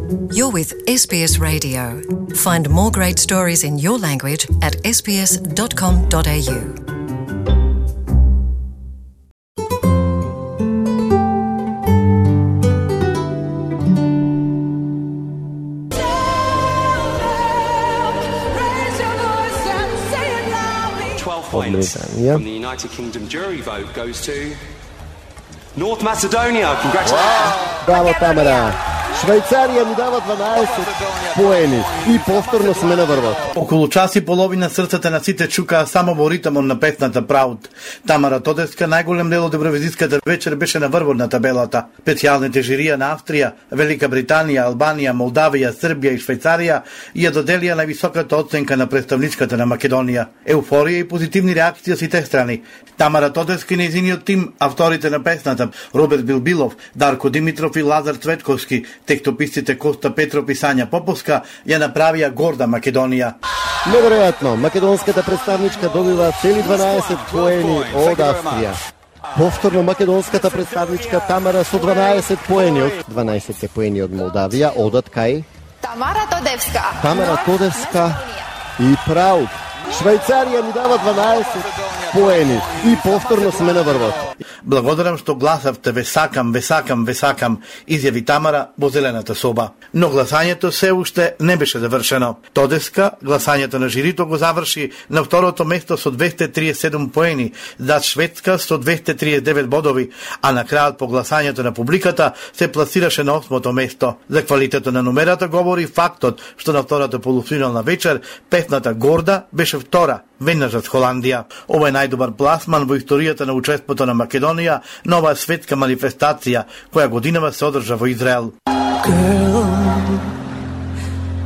You're with SBS Radio. Find more great stories in your language at sbs.com.au. Points from the United Kingdom jury vote goes to North Macedonia. Congratulations. Браво, Тамара. Швајцарија ни дава 12 поени и повторно сме на врвот. Околу час и половина срцата на сите чукаа само во ритмот на песната Proud. Тамара Тодеска најголем дел од евровизиската вечер беше на врвот на табелата. Специјалните жирија на Австрија, Велика Британија, Албанија, Молдавија, Србија и Швајцарија ја доделија највисоката оценка на представничката на Македонија. Еуфорија и позитивни реакции од сите страни. Тамара Тодеска и нејзиниот тим, авторите на песната Роберт Билбилов, Дарко Димитров и Лазар Цветковски, текстописците Коста Петров и Сања Поповска ја направија горда Македонија. Неверојатно, македонската представничка добива цели 12 поени од Австрија. Повторно македонската представничка Тамара со 12 поени од 12 поени од Молдавија одат кај Тамара Тодевска. Тамара Тодевска и Proud. Швајцарија ни дава 12 поени и повторно сме на врвот. Благодарам што гласавте, ве сакам, изјави Тамара во зелената соба. Но гласањето се уште не беше завршено. Тодеска гласањето на жирито го заврши на второто место со 237 поени, зад Шведска со 239 бодови, а на крајот по гласањето на публиката се пласираше на 8-то место. За квалитетот на номерата говори фактот што на втората полуфинална вечер песната Горда беше втора, веднаш од Холандија. Ова е најдобар пласман во историјата на учеството на Македонија на оваа светска манифестација која годинава се одржа во Израел. Girl,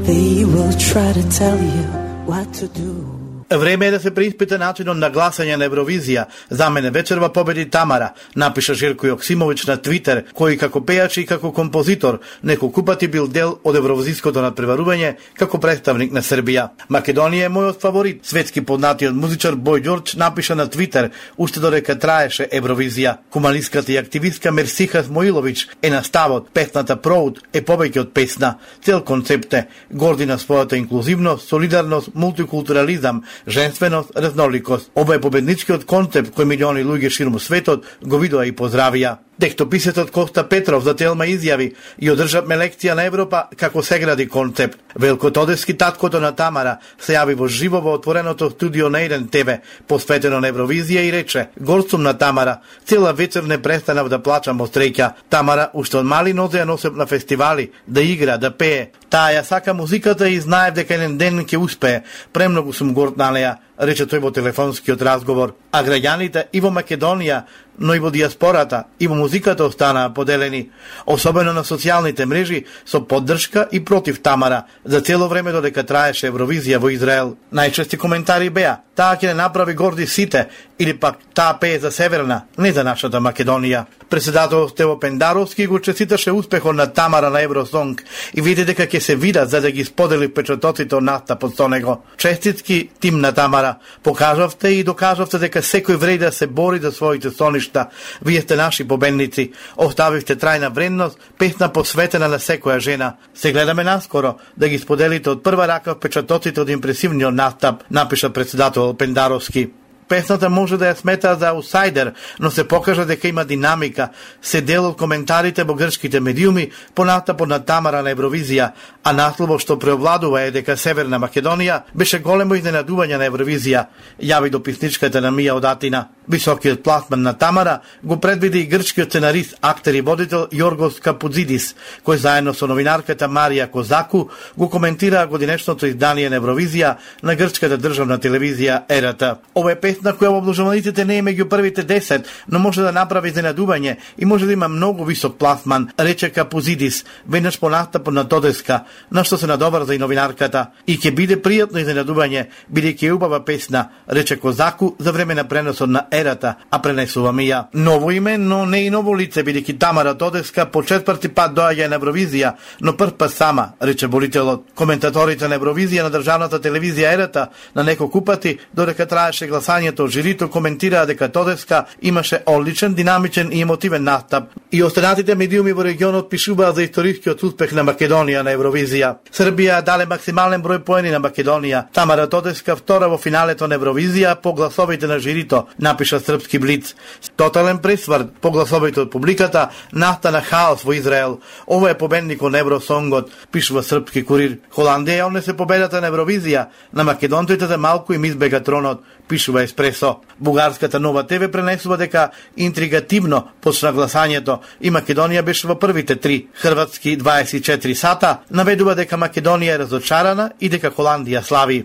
they will try to tell you what to do. Време е да се преиспита начинот на гласање на Евровизија. За мене вечерва победи Тамара, напиша Жирко Јоксимович на Твитер, кој како пејач и како композитор неколку пати бил дел од евровизиското надпреварување како представник на Србија. Македонија е мојот фаворит, светски познатиот музичар Бој Ѓорџ напиша на Твитер, уште додека траеше Евровизија. Хуманистката и активистка Мерсиха Смоилович е на ставот, песната Proud е повеќе од песна. Цел концепт е горди на својата инклузивност, солидарност, мултикултурализам, женственост, разноликост. Ова е победничкиот концепт кој милиони луѓе ширум светот го видоа и поздравија. Текстописецот Коста Петров за Телма изјави и одржавме лекција на Европа како се гради концепт. Велко Тодески, таткото на Тамара, се јави во живо во отвореното студио на 1 ТВ, посветено на Евровизија и рече: "Горд сум на Тамара, цела вечер не престанав да плачам од среќа. Тамара уште од мали нозе ја носев на фестивали, да игра, да пее. Таа ја сака музиката и знаев дека еден ден ќе успее. Премногу сум горд на неа", рече тој во телефонскиот разговор. А граѓаните и во Македонија, но и во диаспората и во музиката останаа поделени, особено на социјалните мрежи, со поддршка и против Тамара, за цело време додека траеше Евровизија во Израел. Најчести коментари беа: "Таа ќе не направи горди сите", или пак "Таа пее за Северна, не за нашата Македонија". Председател Стево Пендаровски го честиташе успехот на Тамара на Евросонг и види дека ќе се видат за да ги сподели впечатоците од настапот со него. Честитки тим на Тамара. Покажавте и докажавте дека секој вреди да се бори за своите соништа. Вие сте наши победници. Оставивте трајна вредност, песна посветена на секоја жена. Се гледаме наскоро да ги споделите од прва рака впечатоците од импресивниот настап, напиша председател Пендаровски. Песната може да ја смета за аутсайдер, но се покажа дека има динамика, се дел од коментарите во грчките медиуми по настапот на Тамара на Евровизија, а насловот што преовладува е дека Северна Македонија беше големо изненадување на Евровизија, јави дописничката на Мија од Атина. Високиот пласман на Тамара го предвиди и грчкиот сценарист, актер и водител Јоргос Капудзидис, кој заедно со новинарката Марија Козаку го коментираа годинешното издание на Евровизија на грчката државна телевизија ЕРТ. Ова е песна која во обложуваниците не е меѓу првите 10, но може да направи изненадување и може да има многу висок пласман, рече Капудзидис, веднаш по настапот на Тодеска, на што се надоврза и новинарката. И ќе биде пријатно изненадување, бидејќи е убава песна, рече Козаку за време на преносот на ерата, а пренесуваме ја. Ново име, но не и ново лице, бидејќи Тамара Тодеска по 4-ти пат доаѓа на Евровизија, но прв пат сама, рече борителот. Коментаторите на Евровизија на државната телевизија Ерата на неколку пати, додека траеше гласањето од жирито, коментираа дека Тодеска имаше одличен, динамичен и емотивен настап. И останатите медиуми во регионот пишуваа за историскиот успех на Македонија на Евровизија. Србија даде максимален број поени на Македонија. Тамара Тодеска втора во финалето на Евровизија по гласовите на жирито, напиша српски Блиц. Тотален пресврт по гласовите од публиката, настана хаос во Израел. Ова е победникот на Евросонгот, пишува српски Курир. Холандија однесе победата на Евровизија, на македонците за малку им избега тронот, пишува Еспресо. Бугарската Нова ТВ пренесува дека интригативно почна гласањето и Македонија беше во првите 3. Хрватски 24 сата наведува дека Македонија е разочарана и дека Холандија слави.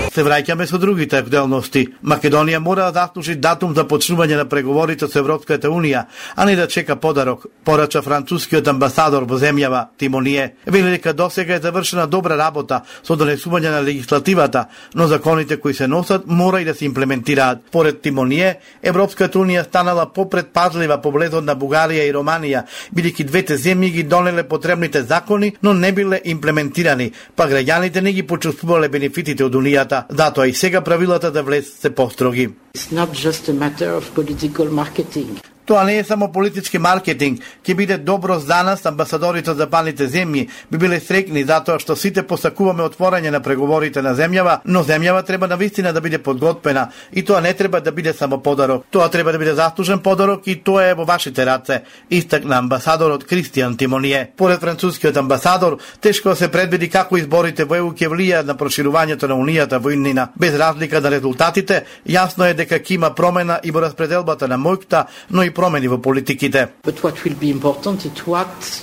Се враќаме со другите актуелности. Македонија мора да заслужи датум за почнување на преговорите со Европската Унија, а не да чека подарок, порача францускиот амбасадор во земјава Тимоние. Вели дека досега е завршена добра работа со донесување на легислативата, но законите кои се носат мора и да се имплементираат. Поред Тимоние, Европската Унија станала попредпазлива по влезот на Бугарија и Романија, бидејќи двете земји ги донеле потребните закони, но не биле имплементирани, па граѓаните не ги почувствувале бенефитите од Унијата. Затоа и сега правилата за влез се построги. It's not just a matter of political marketing. Тоа не е само политички маркетинг, ќе биде добро за нас, амбасадорите од западните земји, би биле среќни затоа што сите посакуваме отворање на преговорите на земјава, но земјава треба навистина да биде подготвена и тоа не треба да биде само подарок. Тоа треба да биде заслужен подарок и тоа е во вашите раце, истакна амбасадорот Кристијан Тимоние. Поред францускиот амбасадор, тешко се предвиди како изборите во ЕУ ќе влијаат на проширувањето на Унијата во иднина. Без разлика на резултатите, јасно е дека ќе има промена и во распределбата на мојкта, но и промени во политиките.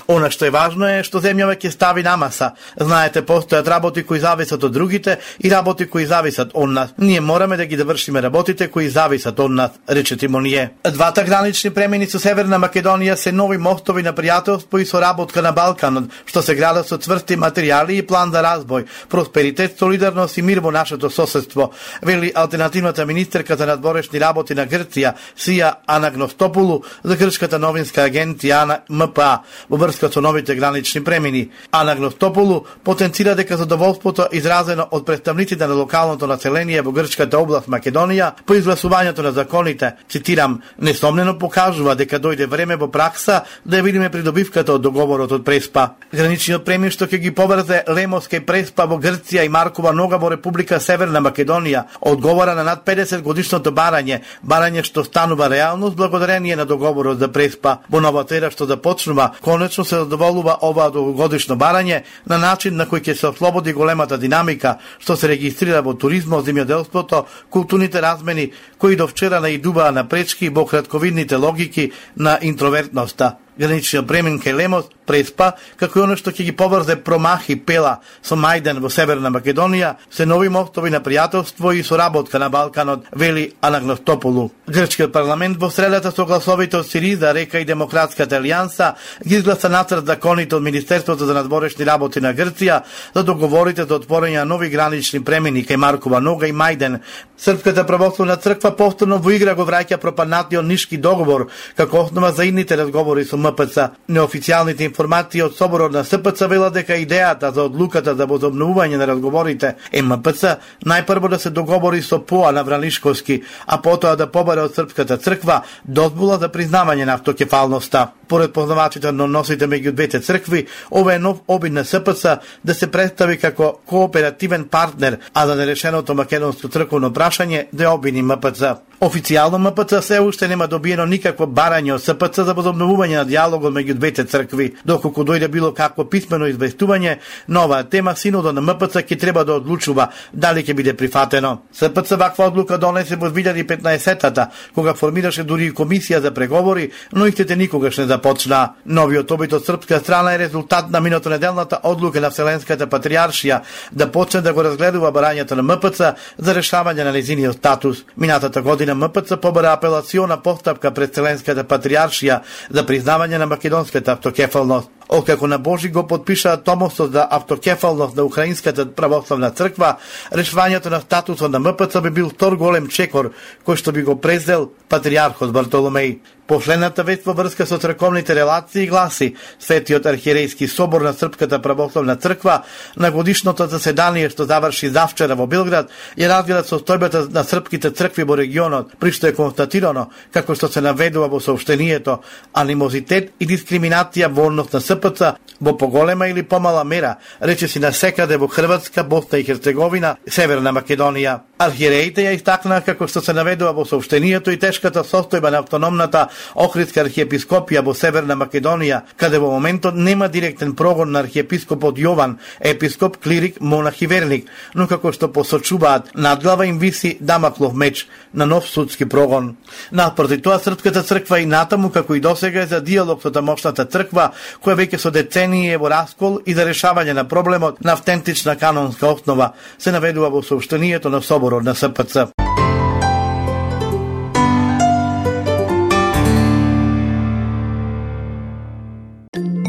Она што е важно е што земјава ќе стави на маса. Знаете, постојат работи кои зависат од другите и работи кои зависат од нас. Ние мораме да ги завршиме работите кои зависат од нас, рече Тимоние. Двата гранични премини со Северна Македонија се нови мостови на пријателство и соработка на Балканот, што се градат со цврсти материјали и план за разбој, просперитет, солидарност и мир во нашето соседство, вели алтернативната министерка за надворешни работи на Грција, Сија Анагностопулу, за грчката новинска агенција МПА во врска со новите гранични премини. Анагностопулу потенцира дека задоволството изразено од представниците на локалното население во грчката област Македонија по изгласувањето на законите, цитирам, несомнено покажува дека дојде време во пракса да ја видиме придобивката од договорот од Преспа. Граничниот премин што ќе ги поврзе Лемоска и Преспа во Грција и Маркова Нога во Република Северна Македонија одговара на над 50 годишното барање што станува реалност благодарение на договорот за Преспа. Во новата ера што започнува, конечно се задоволува ова долгогодишно барање на начин на кој ќе се ослободи големата динамика што се регистрира во туризмот, земјоделството, културните размени кои до вчера наидуваа на пречки во кратковидните логики на интровертноста. Граничниот премин кај Лемос, Преспа, како и оно што ќе ги поврзе Промахи, Пела со Мајден во Северна Македонија, се нови мостови на пријателство и соработка на Балканот, вели Анагностопулу. Грчкиот парламент во средата со гласовите од Сириза, Река и Демократската алијанса ги изгласа нацрт законите од Министерството за надворешни работи на Грција за договорите за отворање на нови гранични премини кај Маркова Нога и Мајден. Српската православна црква повторно во игра го враќа пропаднатиот Нишки договор како основа за идните разговори со МПЦ. Неофицијалните информации од соборот на СПЦ велат дека идејата за одлуката за возобновување на разговорите е МПЦ најпрво да се договори со ПОА на Вранишковски, а потоа да побаре од Српската црква дозвола за признавање на автокефалноста. Поред познавачите на односите меѓу двете цркви, ова е нов обид на СПЦ да се представи како кооперативен партнер, а за нерешеното македонско црковно прашање да обвини МПЦ. Официјално МПЦ се уште нема добиено никакво барање од СПЦ за возобновување на диалогот меѓу двете цркви. Доколку дојде било какво писмено известување на оваа тема, синодот на МПЦ ќе треба да одлучува дали ќе биде прифатено. СПЦ ваква одлука донесе во 2015-та, кога формираше дури и комисија за преговори, но истите никогаш не започна. Новиот обид од српска страна е резултат на минатонеделната одлука на Вселенската патријаршија да почне да го разгледува барањето на МПЦ за решавање на нејзиниот статус. Минатата година МПЦ побара апелациона постапка пред Вселенската патријаршија за признавање на македонската автокефалност. Откако на Божи го подпишаа томосот за автокефалност на Украинската православна црква, решувањето на статусот на МПЦ би бил втор голем чекор кој што би го презел патриархот Бартоломеј. Последната вест во врска со црковните релации гласи: Светиот архиерејски собор на Српската православна црква на годишното заседание што заврши завчера во Белград ја разгледа состојбата на српските цркви во регионот, при што е констатирано, како што се наведува во соопштението, анимозитет и дискриминација во однос на СПЦ во поголема или помала мера, речиси насекаде во Хрватска, Босна и Херцеговина, Северна Македонија. Архиереите ја истакнаа како што се наведува во соопштението и тешката состојба на автономната Охридска архиепископија во Северна Македонија, каде во моментот нема директен прогон на архиепископот Јован, епископ, клирик, монах и верник, но како што посочуваат, над глава им виси дамаклов меч на нов судски прогон. Наспроти тоа, Српската црква и натаму, како и досега, е за диалог со тамошната црква, која веќе со децении е во раскол и за решавање на проблемот на автентична канонска основа, се наведува во соопштението на соборот на СПЦ.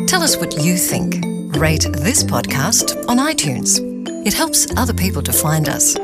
Tell us what you think. Rate this podcast on iTunes. It helps other people to find us.